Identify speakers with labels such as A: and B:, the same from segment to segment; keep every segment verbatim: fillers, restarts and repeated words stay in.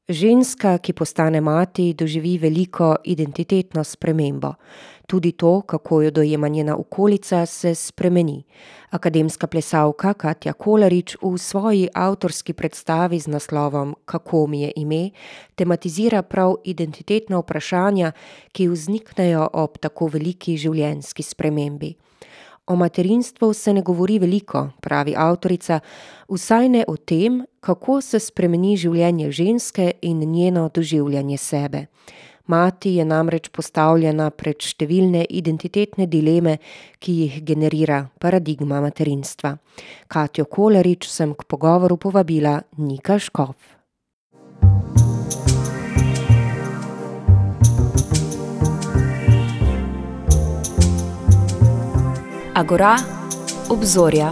A: Ženska, ki postane mati, doživi veliko identitetno spremembo. Tudi to, kako jo dojema njena okolica, se spremeni. Akademska plesalka Katja Kolarič v svoji avtorski predstavi z naslovom Kako mi je ime tematizira prav identitetna vprašanja, ki vzniknejo ob tako veliki življenjski spremembi. O materinstvu se ne govori veliko, pravi avtorica, vsaj ne o tem, kako se spremeni življenje ženske in njeno doživljanje sebe. Mati je namreč postavljena pred številne identitetne dileme, ki jih generira paradigma materinstva. Katjo Kolarič sem k pogovoru povabila Nika Škof.
B: Agora, obzorja.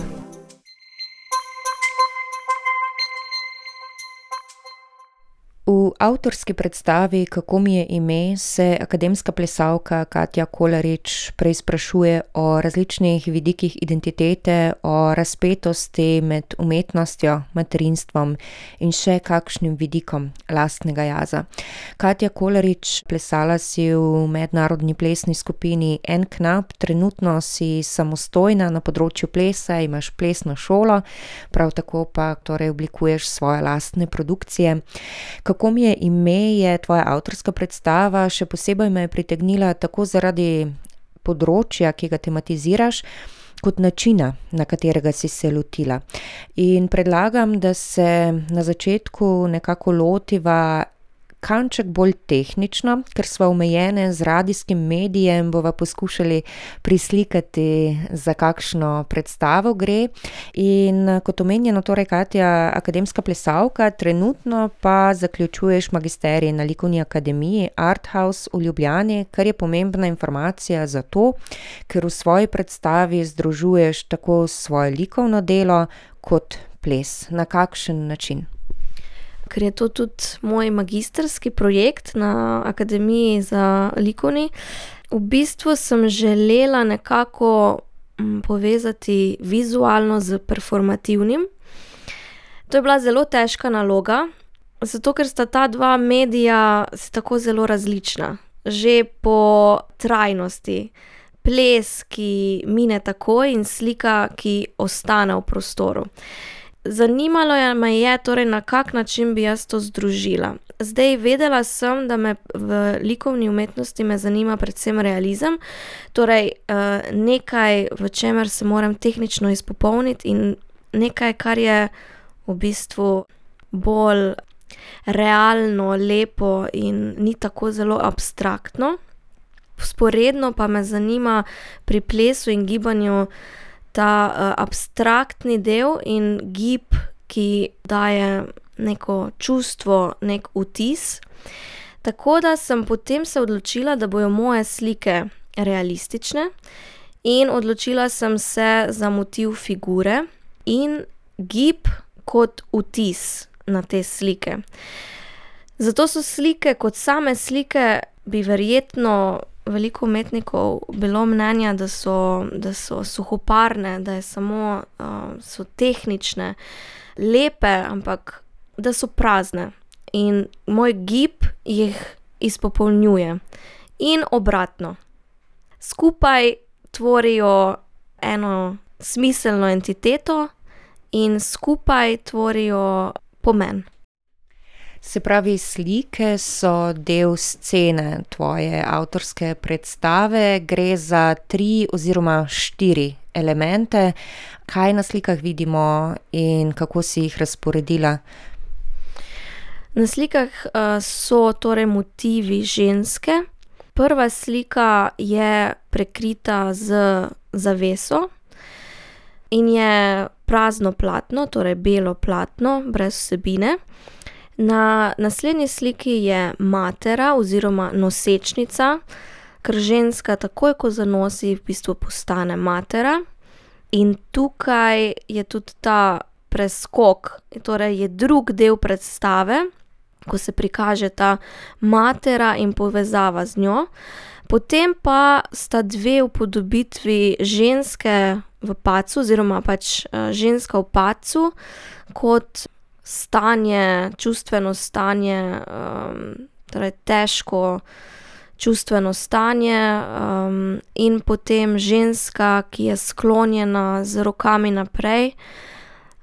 A: V avtorski predstavi Kako mi je ime se akademska plesalka Katja Kolarič preizprašuje o različnih vidikih identitete, o razpetosti med umetnostjo, materinstvom in še kakšnim vidikom lastnega jaza. Katja Kolarič, plesala si v mednarodni plesni skupini En knap, trenutno si samostojna na področju plesa, imaš plesno šolo, prav tako pa torej oblikuješ svoje lastne produkcije. Kako mi je ime je tvoja avtorska predstava, še posebej me je pritegnila tako zaradi področja, ki ga tematiziraš, kot načina, na katerega si se lotila. In predlagam, da se na začetku nekako lotiva kanček bolj tehnično, ker sva omejene z radijskim medijem, bova poskušali prislikati, za kakšno predstavo gre. In kot omenjeno, torej Katja, akademska plesalka, trenutno pa zaključuješ magisterij na Likovni akademiji Arthouse v Ljubljani, kar je pomembna informacija zato, ker v svoji predstavi združuješ tako svoje likovno delo kot ples. Na kakšen način?
C: Ker je to tudi moj magistrski projekt na Akademiji za likovni. V bistvu sem želela nekako povezati vizualno s performativnim. To je bila zelo težka naloga, zato ker sta ta dva medija tako zelo različna. Že po trajnosti. Ples, ki mine takoj, in slika, ki ostane v prostoru. Zanimalo me je torej, na kak način bi jaz to združila. Zdaj, vedela sem, da me v likovni umetnosti me zanima predvsem realizem, torej nekaj, v čemer se moram tehnično izpopolniti, in nekaj, kar je v bistvu bolj realno, lepo in ni tako zelo abstraktno. Vzporedno pa me zanima pri plesu in gibanju ta uh, abstraktni del in gib, ki daje neko čustvo, nek vtis. Tako da sem potem se odločila, da bojo moje slike realistične, in odločila sem se za motiv figure in gib kot vtis na te slike. Zato so slike kot same slike, bi verjetno veliko umetnikov bilo mnenja, da so, da so suhoparne, da je samo, uh, so tehnične, lepe, ampak da so prazne. In moj gib jih izpopolnjuje. In obratno. Skupaj tvorijo eno smiselno entiteto in skupaj tvorijo pomen.
A: Se pravi, slike so del scene tvoje avtorske predstave, gre za tri oziroma štiri elemente. Kaj na slikah vidimo in kako si jih razporedila?
C: Na slikah uh, so torej motivi ženske. Prva slika je prekrita z zaveso in je prazno platno, torej belo platno, brez vsebine. Na naslednji sliki je matera oziroma nosečnica, ker ženska takoj, ko zanosi, v bistvu postane matera. In tukaj je tudi ta preskok, torej je drug del predstave, ko se prikaže ta matera in povezava z njo. Potem pa sta dve upodobitvi ženske v padcu oziroma pač ženska v padcu kot stanje, čustveno stanje, um, torej težko čustveno stanje, um, in potem ženska, ki je sklonjena z rokami naprej.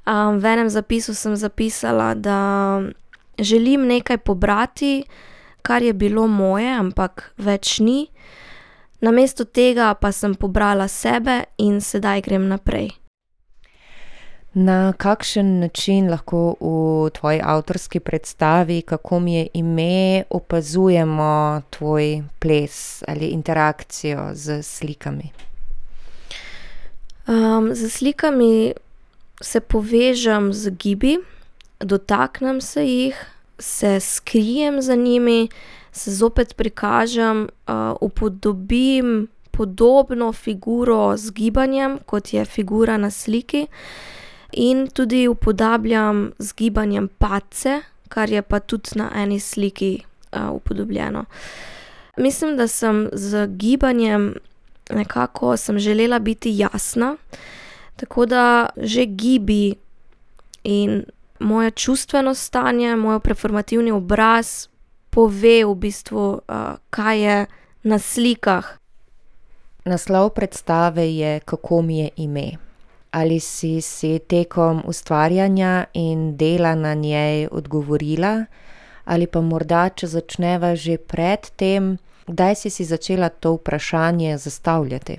C: Um, v enem zapisu sem zapisala, da želim nekaj pobrati, kar je bilo moje, ampak več ni. Namesto tega pa sem pobrala sebe in sedaj grem naprej.
A: Na kakšen način lahko v tvoji avtorski predstavi, kako mi je ime, opazujemo tvoj ples ali interakcijo z slikami?
C: Um, z slikami se povežem z gibi, dotaknem se jih, se skrijem za njimi, se zopet prikažem, uh, upodobim podobno figuro z gibanjem, kot je figura na sliki, in tudi upodabljam z gibanjem padce, kar je pa tudi na eni sliki uh, upodobljeno. Mislim, da sem z gibanjem nekako sem želela biti jasna, tako da že gibi in moje čustveno stanje, moj performativni obraz pove v bistvu, uh, kaj je na slikah.
A: Naslov predstave je Kako mi je ime. Ali si si tekom ustvarjanja in dela na njej odgovorila, ali pa morda, če začneva že pred tem, kdaj si si začela to vprašanje zastavljati?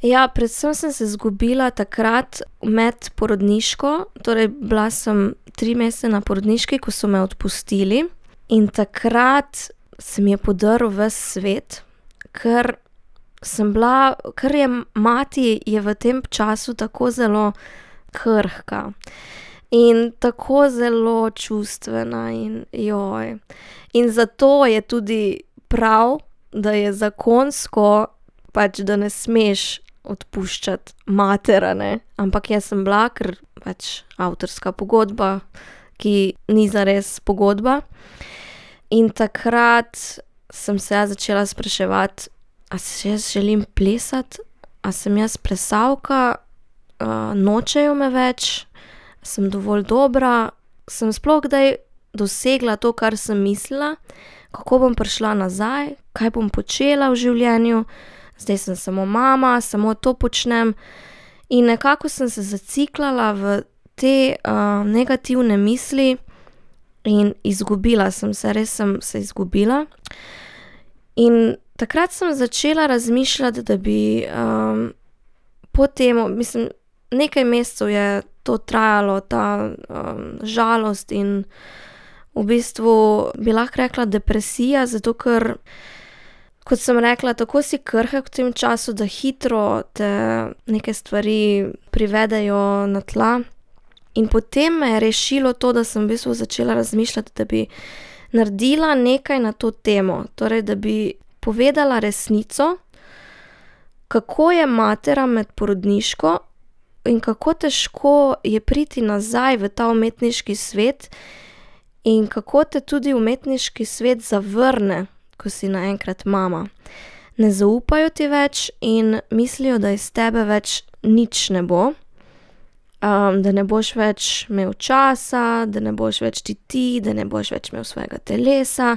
C: Ja, predvsem sem se izgubila takrat med porodniško, torej bila sem tri mesece na porodniški, ko so me odpustili, in takrat se mi je podrl ves svet, ker sem bila, ker je mati je v tem času tako zelo krhka in tako zelo čustvena in joj. In zato je tudi prav, da je zakonsko pač, da ne smeš odpuščati matera, ne. Ampak jaz sem bila, ker pač avtorska pogodba, ki ni zares pogodba. In takrat sem se jaz začela spraševati, a se jaz želim plesati, a sem jaz plesalka, uh, nočejo me več, sem dovolj dobra, sem sploh kdaj dosegla to, kar sem mislila, kako bom prišla nazaj, kaj bom počela v življenju, zdaj sem samo mama, samo to počnem. In nekako sem se zaciklala v te uh, negativne misli in izgubila sem se, res sem se izgubila. In takrat sem začela razmišljati, da bi um, po tem, mislim, nekaj mesecev je to trajalo, ta um, žalost in v bistvu bi lahko rekla depresija, zato ker, kot sem rekla, tako si krhek v tem času, da hitro te neke stvari privedejo na tla. In potem me je rešilo to, da sem v bistvu začela razmišljati, da bi naredila nekaj na to temo, torej da bi povedala resnico, kako je matera med porodniško in kako težko je priti nazaj v ta umetniški svet in kako te tudi umetniški svet zavrne, ko si naenkrat mama. Ne zaupajo ti več in mislijo, da iz tebe več nič ne bo, um, da ne boš več imel časa, da ne boš več ti ti, da ne boš več imel svojega telesa.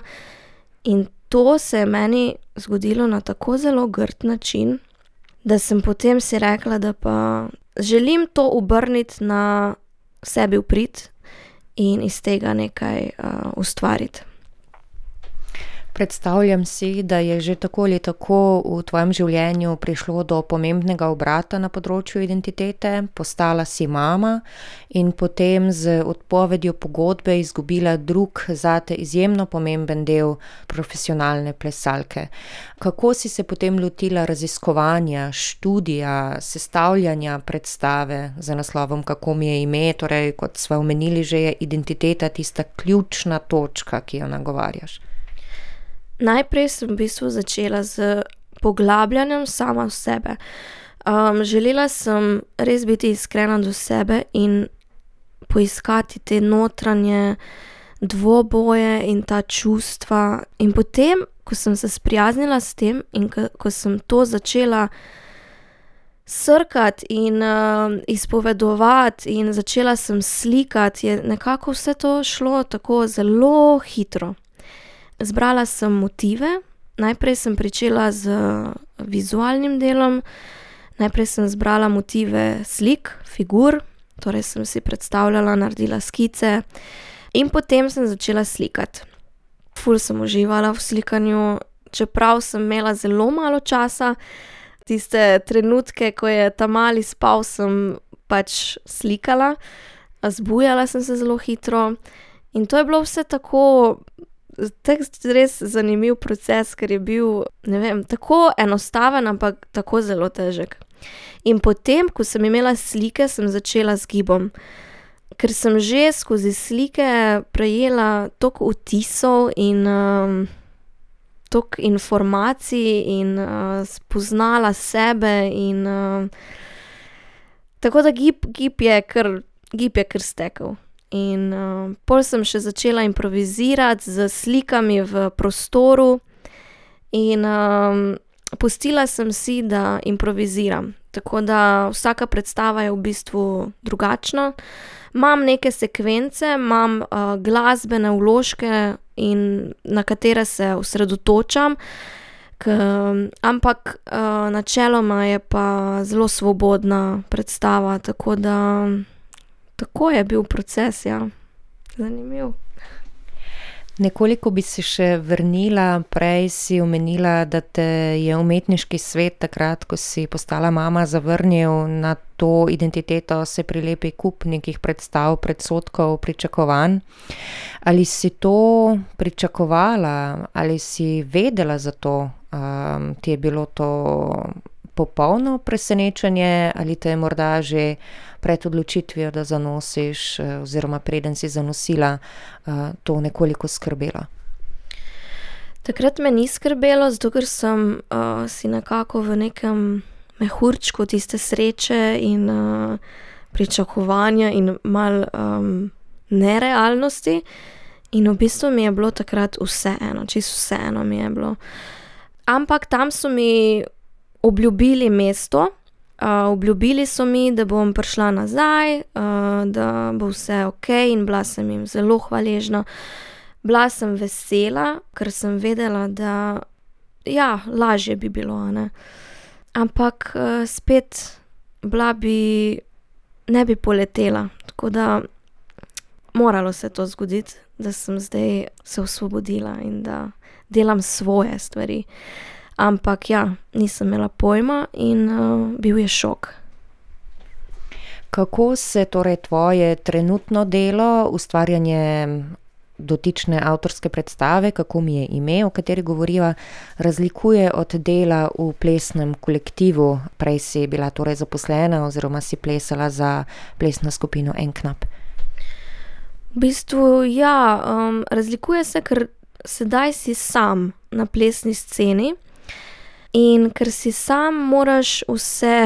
C: In to se je meni zgodilo na tako zelo grd način, da sem potem si rekla, da pa želim to obrniti na sebi v prid in iz tega nekaj uh, ustvariti.
A: Predstavljam si, da je že tako ali tako v tvojem življenju prišlo do pomembnega obrata na področju identitete, postala si mama in potem z odpovedjo pogodbe izgubila drug zate izjemno pomemben del profesionalne plesalke. Kako si se potem lotila raziskovanja, študija, sestavljanja predstave z naslovom Kako mi je ime, torej kot sva omenili že, je identiteta tista ključna točka, ki jo nagovarjaš?
C: Najprej sem v bistvu začela z poglabljanjem sama v sebe. Um, želela sem res biti iskrena do sebe in poiskati te notranje dvoboje in ta čustva. In potem, ko sem se sprijaznila s tem in ko, ko sem to začela srkati in uh, izpovedovati in začela sem slikati, je nekako vse to šlo tako zelo hitro. Zbrala sem motive, najprej sem pričela z vizualnim delom, najprej sem zbrala motive slik, figur, torej sem si predstavljala, naredila skice in potem sem začela slikati. Ful sem uživala v slikanju, čeprav sem imela zelo malo časa, tiste trenutke, ko je ta mali spal, sem pač slikala, zbujala sem se zelo hitro in to je bilo vse tako, tak res zanimiv proces, ker je bil, ne vem, tako enostaven, ampak tako zelo težek. In potem, ko sem imela slike, sem začela z gibom. Ker sem že skozi slike prejela toliko vtisov in um, toliko informacij in uh, spoznala sebe in uh, tako da gib, gib je kar, gib je kar stekel. In uh, pol sem še začela improvizirati z slikami v prostoru in um, pustila sem si, da improviziram. Tako da vsaka predstava je v bistvu drugačna. Imam neke sekvence, imam uh, glasbene vložke, in na katere se osredotočam, k, ampak uh, načeloma je pa zelo svobodna predstava, tako da tako je bil proces, ja. Zanimiv.
A: Nekoliko bi se še vrnila, prej si omenila, da te je umetniški svet takrat, ko si postala mama, zavrnil, na to identiteto se prilepi kup nekih predstav, predsodkov, pričakovanj. Ali si to pričakovala, ali si vedela za to, um, ti je bilo to popolno presenečenje ali te je morda že pred odločitvijo, da zanosiš, oziroma preden si zanosila, to nekoliko skrbelo?
C: Takrat me ni skrbelo, zato ker sem uh, si nekako v nekem mehurčku tiste sreče in uh, pričakovanja in malo um, nerealnosti. In v bistvu mi je bilo takrat vseeno, čisto vseeno mi je bilo. Ampak tam so mi obljubili mesto, uh, obljubili so mi, da bom prišla nazaj, uh, da bo vse okej, in bila sem jim zelo hvaležna. Bila sem vesela, ker sem vedela, da ja, lažje bi bilo, a ne. Ampak uh, spet bila bi, ne bi poletela, tako da moralo se to zgoditi, da sem zdaj se osvobodila in da delam svoje stvari. Ampak ja, nisem imela pojma in uh, bil je šok.
A: Kako se torej tvoje trenutno delo, ustvarjanje dotične avtorske predstave, kako mi je ime, o kateri govoriva, razlikuje od dela v plesnem kolektivu? Prej si bila torej zaposlena oziroma si plesala za plesno skupino En knap.
C: V bistvu ja, um, razlikuje se, ker sedaj si sam na plesni sceni in ker si sam, moraš vse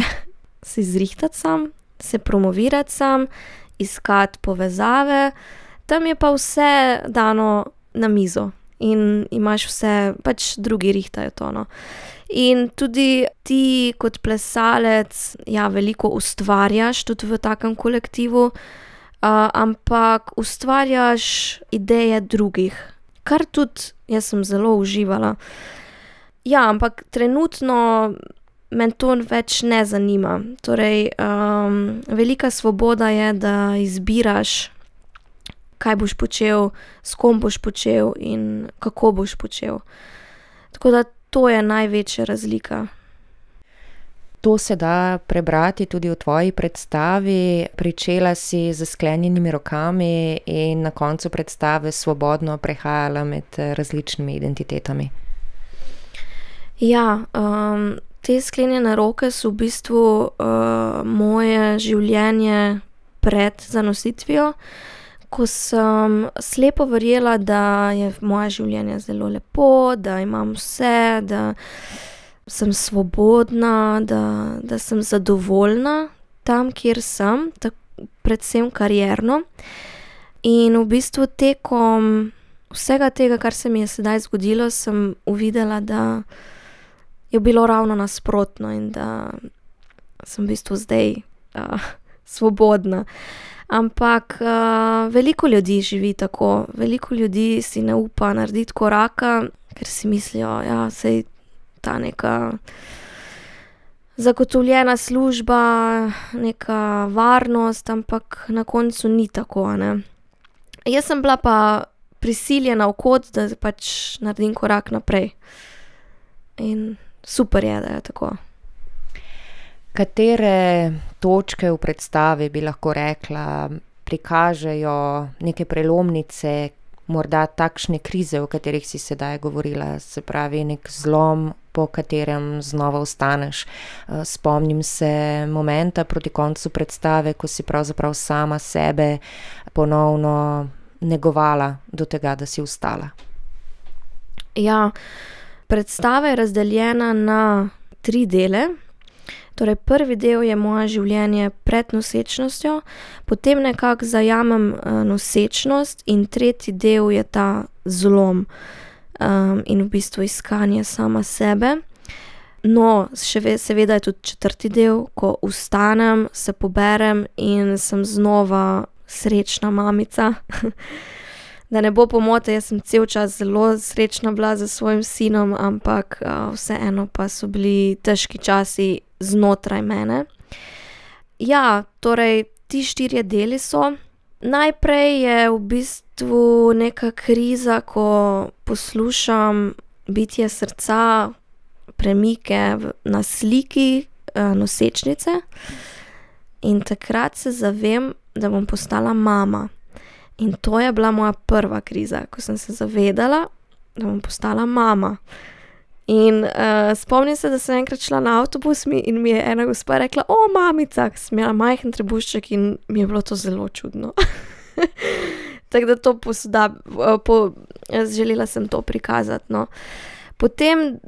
C: si zrihtati sam, se promovirati sam, iskati povezave, tam je pa vse dano na mizo in imaš vse, pač drugi rihtajo to, no. In tudi ti kot plesalec, ja, veliko ustvarjaš tudi v takem kolektivu, uh, ampak ustvarjaš ideje drugih, kar tudi jaz sem zelo uživala. Ja, ampak trenutno me to več ne zanima. Torej, um, velika svoboda je, da izbiraš, kaj boš počel, s kom boš počel in kako boš počel. Tako da to je največja razlika.
A: To se da prebrati tudi v tvoji predstavi. Pričela si z sklenjenimi rokami in na koncu predstave svobodno prehajala med različnimi identitetami.
C: Ja, um, te sklenjene roke so v bistvu uh, moje življenje pred zanositvijo, ko sem slepo verjela, da je moje življenje zelo lepo, da imam vse, da sem svobodna, da, da sem zadovoljna tam, kjer sem, tak, predvsem karierno. In v bistvu tekom vsega tega, kar se mi je sedaj zgodilo, sem uvidela, da je bilo ravno nasprotno in da sem v bistvu zdaj uh, svobodna. Ampak uh, veliko ljudi živi tako, veliko ljudi si ne upa narediti koraka, ker si mislijo, ja, sej ta neka zagotovljena služba, neka varnost, ampak na koncu ni tako, ne. Jaz sem bila pa prisiljena v kot, da pač naredim korak naprej. In super je, da je tako.
A: Katere točke v predstavi bi lahko rekla, prikažejo neke prelomnice, morda takšne krize, o katerih si sedaj govorila, se pravi nek zlom, po katerem znova vstaneš. Spomnim se momenta proti koncu predstave, ko si pravzaprav sama sebe ponovno negovala do tega, da si vstala.
C: Ja, predstava je razdeljena na tri dele. Torej, prvi del je moje življenje pred nosečnostjo, potem nekako zajamem nosečnost in tretji del je ta zlom um, in v bistvu iskanje sama sebe. No, še seveda je tudi četrti del, ko vstanem, se poberem in sem znova srečna mamica. Da ne bo pomote, jaz sem cel čas zelo srečna bila s svojim sinom, ampak uh, vseeno pa so bili težki časi znotraj mene. Ja, torej, ti štirje deli so. Najprej je v bistvu neka kriza, ko poslušam bitje srca, premike na sliki uh, nosečnice in takrat se zavem, da bom postala mama. In to je bila moja prva kriza, ko sem se zavedala, da bom postala mama. In uh, spomnim se, da sem enkrat šla na avtobus in mi je ena gospa rekla, o, mamica, ker sem imela majhen trebušček in mi je bilo to zelo čudno. Tako da to posoda, po, želela sem to prikazati, no. Potem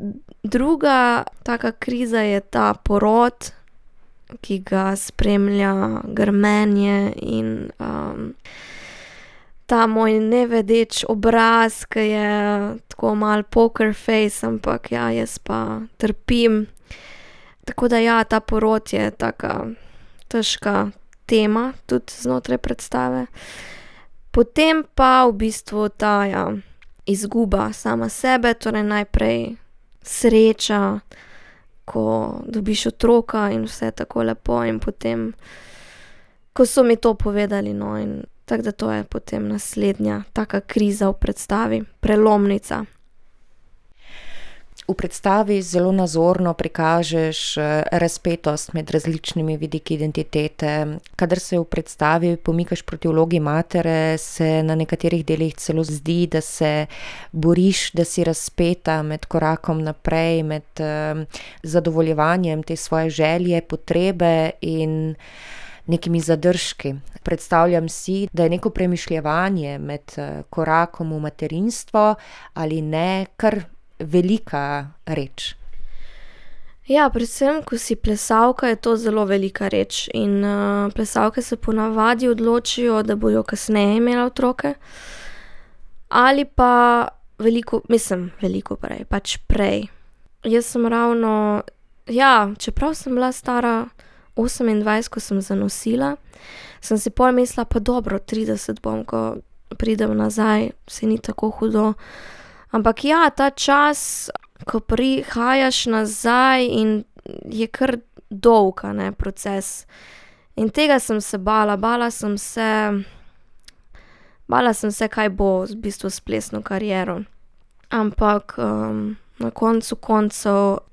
C: druga taka kriza je ta porod, ki ga spremlja grmenje in um, ta moj nevedeč obraz, ki je tako malo poker face, ampak ja, jaz pa trpim. Tako da ja, ta porod je taka težka tema tudi znotraj predstave. Potem pa v bistvu ta ja, izguba sama sebe, torej najprej sreča, ko dobiš otroka in vse tako lepo in potem, ko so mi to povedali, no, in tako da to je potem naslednja taka kriza v predstavi, prelomnica.
A: V predstavi zelo nazorno prikažeš razpetost med različnimi vidiki identitete. Kadar se v predstavi pomikaš proti vlogi matere, se na nekaterih delih celo zdi, da se boriš, da si razpeta med korakom naprej, med um, zadovoljevanjem te svoje želje, potrebe in nekimi zadržki. Predstavljam si, da je neko premišljevanje med korakom v materinstvo ali ne kar velika reč.
C: Ja, predvsem, ko si plesalka, je to zelo velika reč in uh, plesalke se ponavadi odločijo, da bojo kasneje imela otroke ali pa veliko, mislim, veliko prej, pač prej. Jaz sem ravno, ja, čeprav sem bila stara osemindvajset, ko sem zanosila, sem si pol mislila, pa dobro, trideset bom, ko pridem nazaj, se ni tako hudo. Ampak ja, ta čas, ko prihajaš nazaj in je kar dolg, ne, proces. In tega sem se bala, bala sem se, bala sem se, kaj bo v bistvu s plesno kariero. Ampak um, na koncu koncev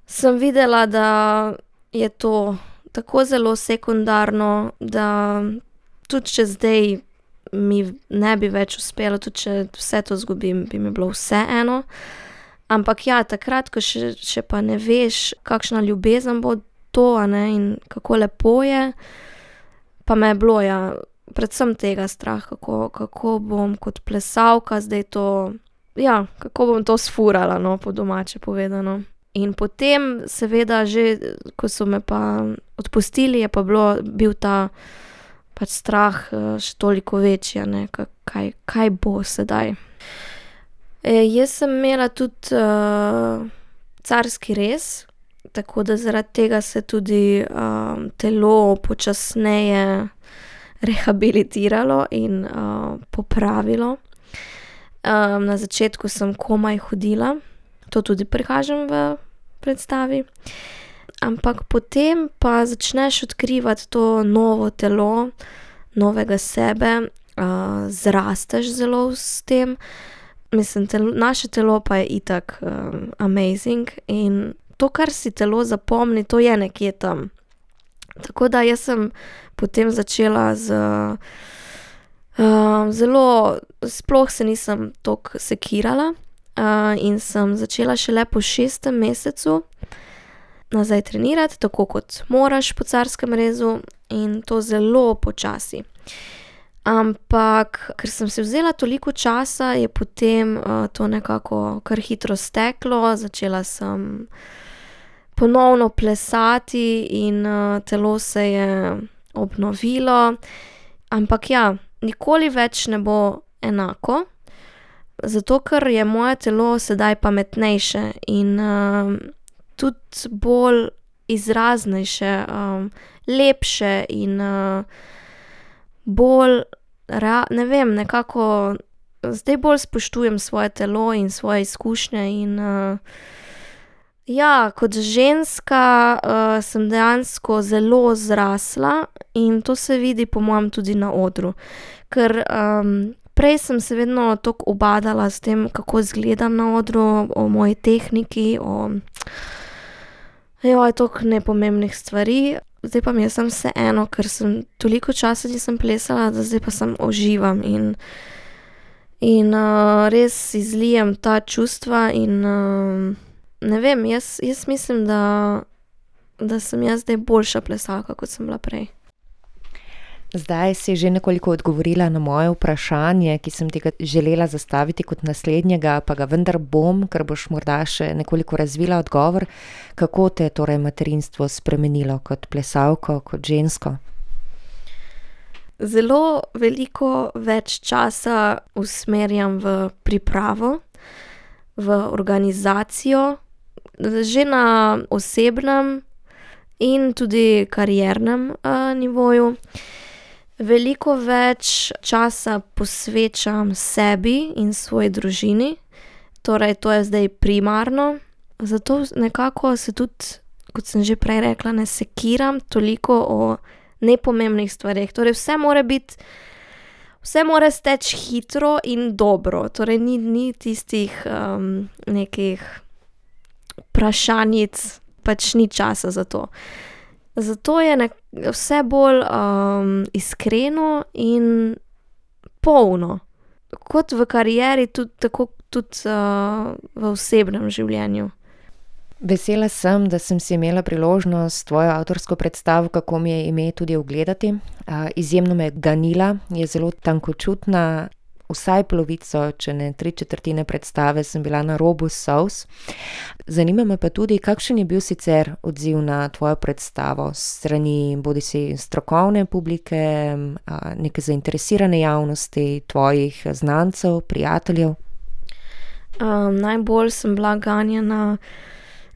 C: sem videla, da je to tako zelo sekundarno, da tudi če zdaj mi ne bi več uspelo, tudi če vse to zgubim, bi mi bilo vseeno. Ampak ja, takrat, ko še, še pa ne veš, kakšna ljubezen bo to, a ne, in kako lepo je, pa me je bilo, ja, predvsem tega strah, kako, kako bom kot plesalka zdaj to, ja, kako bom to sfurala, no, po domače povedano. In potem, seveda, že, ko so me pa odpustili, je pa bilo, bil ta pač strah še toliko večji, ne, kaj, kaj bo sedaj. E, jaz sem imela tudi uh, carski rez, tako da zaradi tega se tudi um, telo počasneje rehabilitiralo in uh, popravilo. Um, na začetku sem komaj hodila, to tudi prikažem v predstavi. Ampak potem pa začneš odkrivati to novo telo, novega sebe, uh, zrasteš zelo s tem. Mislim, telo, naše telo pa je itak um, amazing in to, kar si telo zapomni, to je nekje tam. Tako da jaz sem potem začela z uh, zelo, sploh se nisem toliko sekirala uh, in sem začela šele po šestem mesecu nazaj trenirati, tako kot moraš po carskem rezu in to zelo počasi. Ampak, ker sem si vzela toliko časa, je potem uh, to nekako kar hitro steklo, začela sem ponovno plesati in uh, telo se je obnovilo. Ampak ja, nikoli več ne bo enako, zato ker je moje telo sedaj pametnejše in uh, tudi bolj izraznejše, um, lepše in uh, bolj, rea- ne vem, nekako zdaj bolj spoštujem svoje telo in svoje izkušnje in uh, ja, kot ženska uh, sem dejansko zelo zrasla in to se vidi po mojem tudi na odru, ker um, prej sem se vedno toliko ubadala s tem, kako izgledam na odru, o moji tehniki, o joj, toliko nepomembnih stvari. Zdaj pa mi je samo vseeno, ker sem toliko časa nisem plesala, da zdaj pa sem uživam in, in uh, res izlijem ta čustva in uh, ne vem, jaz, jaz mislim, da, da sem jaz zdaj boljša plesalka, kot sem bila prej.
A: Zdaj si že nekoliko odgovorila na moje vprašanje, ki sem ti ga želela zastaviti kot naslednjega, pa ga vendar bom, ker boš morda še nekoliko razvila odgovor. Kako te je torej materinstvo spremenilo kot plesalko, kot žensko?
C: Zelo veliko več časa usmerjam v pripravo, v organizacijo, že na osebnem in tudi kariernem uh, nivoju. Veliko več časa posvečam sebi in svoji družini, torej to je zdaj primarno, zato nekako se tudi, kot sem že prej rekla, ne sekiram toliko o nepomembnih stvareh, torej vse mora biti, vse mora steči hitro in dobro, torej ni, ni tistih um, nekih vprašanjic, pač ni časa za to. Zato je nek- vse bolj um, iskreno in polno. Kot v karieri, tudi, tako tudi uh, v osebnem življenju.
A: Vesela sem, da sem si imela priložnost tvojo avtorsko predstavo, kako mi je ime, tudi ogledati. Uh, izjemno me je ganila, je zelo tankočutna, vsaj polovico, če ne tri četrtine predstave sem bila na robu solz. Zanima me pa tudi, kakšen je bil sicer odziv na tvojo predstavo s strani bodisi strokovne publike, neke zainteresirane javnosti, tvojih znancev, prijateljev?
C: Um, najbolj sem bila ganjena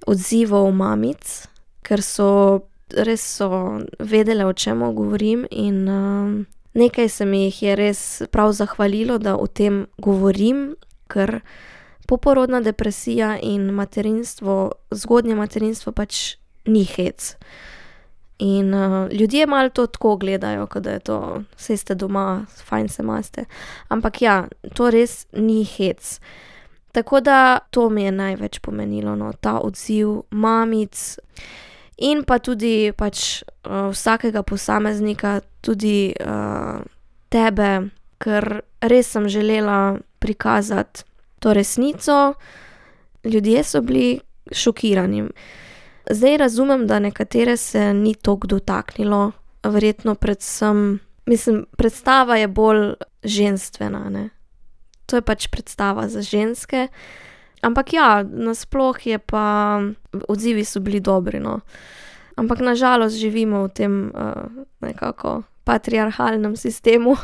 C: odzivov mamic, ker so res so vedele, o čem govorim in um, nekaj se mi jih je res prav zahvalilo, da o tem govorim, ker poporodna depresija in materinstvo, zgodnje materinstvo pač ni hec. In uh, ljudje malo to tako gledajo, kot da je to, saj ste doma, fajn se imate. Ampak ja, to res ni hec. Tako da to mi je največ pomenilo, no, ta odziv mamic in pa tudi pač uh, vsakega posameznika, tudi uh, tebe, ker res sem želela prikazati to resnico. Ljudje so bili šokirani. Zdaj razumem, da nekatere se ni toliko dotaknilo, verjetno predvsem, mislim, predstava je bolj ženstvena, ne. To je pač predstava za ženske. Ampak ja, nasploh je pa, odzivi so bili dobri, no. Ampak na žalost živimo v tem uh, nekako patriarhalnem sistemu.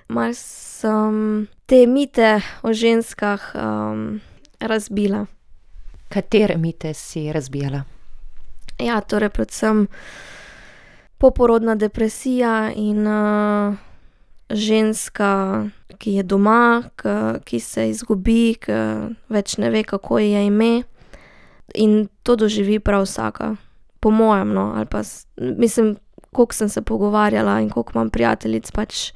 C: Malo sem te mite o ženskah um, razbila.
A: Katere mite si razbijala?
C: Ja, torej predvsem poporodna depresija in uh, ženska, ki je doma, ki, ki se izgubi, ki več ne ve, kako ji je ime. In to doživi prav vsaka. Po mojem, no, ali pa, mislim, koliko sem se pogovarjala in koliko imam prijateljic, pač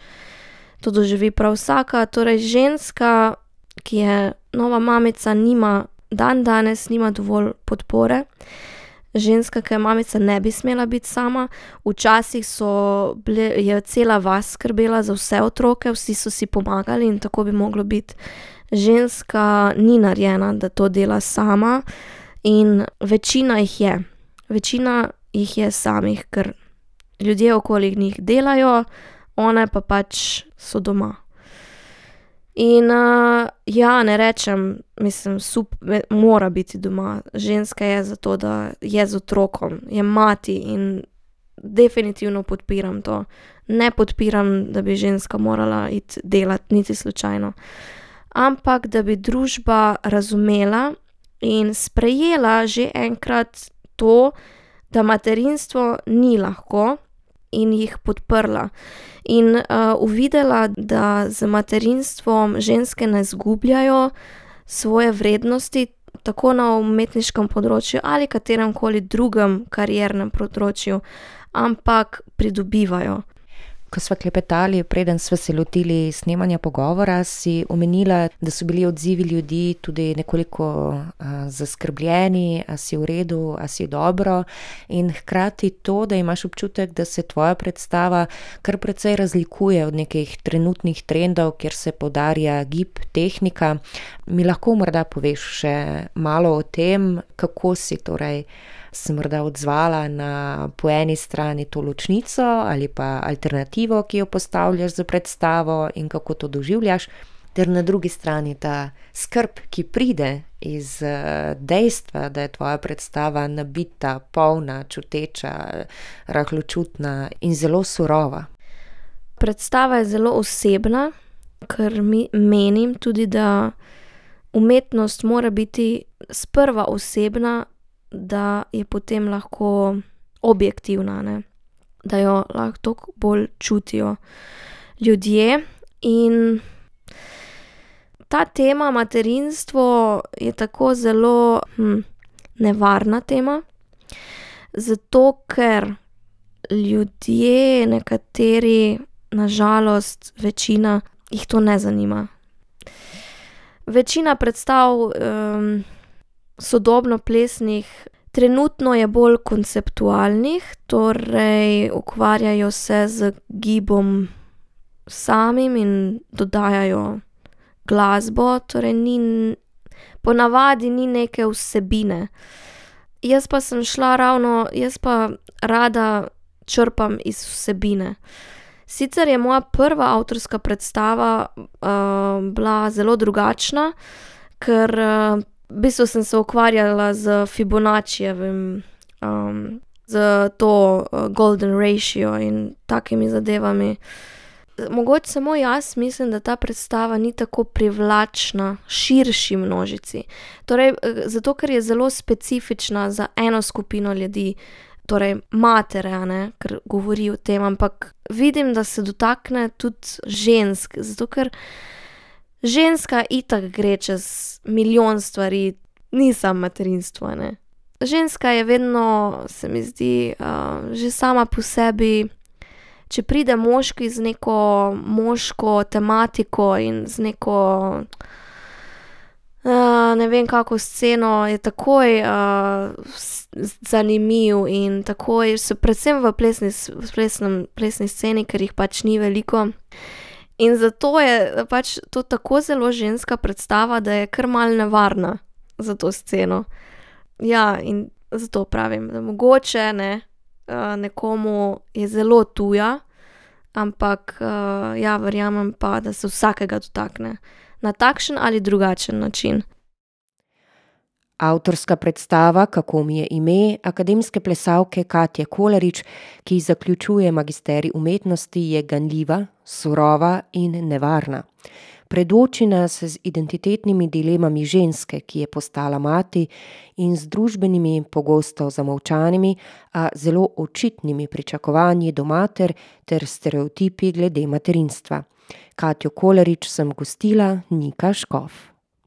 C: to doživi prav vsaka. Torej ženska, ki je nova mamica, nima, dan danes nima dovolj podpore. Ženska, ki je mamica, ne bi smela biti sama. Včasih so bile, je cela vas skrbela za vse otroke, vsi so si pomagali in tako bi moglo biti. Ženska ni narejena, da to dela sama in večina jih je. Večina jih je samih, ker ljudje okoli njih delajo, one pa pač so doma. In uh, ja, ne rečem, mislim, sup, mora biti doma. Ženska je zato, da je z otrokom, je mati in definitivno podpiram to. Ne podpiram, da bi ženska morala iti delati, niti slučajno. Ampak, da bi družba razumela in sprejela že enkrat to, da materinstvo ni lahko in jih podprla. In uh, uvidela, da z materinstvom ženske ne izgubljajo svoje vrednosti, tako na umetniškem področju ali katerem koli drugem kariernem področju, ampak pridobivajo.
A: Ko sva klepetali, preden sva se lotili snemanja pogovora, si omenila, da so bili odzivi ljudi tudi nekoliko uh, zaskrbljeni, a si v redu, a si dobro, in hkrati to, da imaš občutek, da se tvoja predstava kar precej razlikuje od nekih trenutnih trendov, kjer se poudarja gib, tehnika. Mi lahko morda poveš še malo o tem, kako si torej se morda odzvala na po eni strani to ločnico ali pa alternativo, ki jo postavljaš za predstavo in kako to doživljaš, ter na drugi strani ta skrb, ki pride iz dejstva, da je tvoja predstava nabita, polna, čuteča, rahločutna in zelo surova.
C: Predstava je zelo osebna, ker mi menim tudi, da umetnost mora biti sprva osebna, da je potem lahko objektivna, ne? Da jo lahko toliko bolj čutijo ljudje. In ta tema materinstvo je tako zelo hm, nevarna tema, zato ker ljudje, nekateri, na žalost, večina, jih to ne zanima. Večina predstav um, sodobno plesnih trenutno je bolj konceptualnih, torej ukvarjajo se z gibom samim in dodajajo glasbo, torej ni, ponavadi ni neke vsebine. Jaz pa sem šla ravno, jaz pa rada črpam iz vsebine. Sicer je moja prva avtorska predstava uh, bila zelo drugačna, ker uh, v bistvu sem se ukvarjala z Fibonaccijevim, um, z to uh, golden ratio in takimi zadevami. Mogoče samo jaz mislim, da ta predstava ni tako privlačna širši množici. Torej, zato, ker je zelo specifična za eno skupino ljudi, torej matere, a ne, ker govori o tem, ampak vidim, da se dotakne tudi žensk, zato ker ženska itak gre čez milijon stvari, ni samo materinstvo, ne. Ženska je vedno, se mi zdi, uh, že sama po sebi, če pride moški z neko moško tematiko in z neko, uh, ne vem kako sceno, je takoj uh, zanimiv in takoj, so predvsem v plesni, v plesnem, plesni sceni, ker jih pač ni veliko. In zato je pač to tako zelo ženska predstava, da je kar malo nevarna za to sceno. Ja, in zato pravim, da mogoče ne, nekomu je zelo tuja, ampak ja, verjamem pa, da se vsakega dotakne na takšen ali drugačen način.
A: Avtorska predstava Kako mi je ime akademske plesalke Katje Kolarič, ki zaključuje magisterij umetnosti, je ganljiva, surova in nevarna. Predoči nas z identitetnimi dilemami ženske, ki je postala mati, in z družbenimi, pogosto zamolčanimi, a zelo očitnimi pričakovanji do mater ter stereotipi glede materinstva. Katjo Kolarič sem gostila, Nika Škof.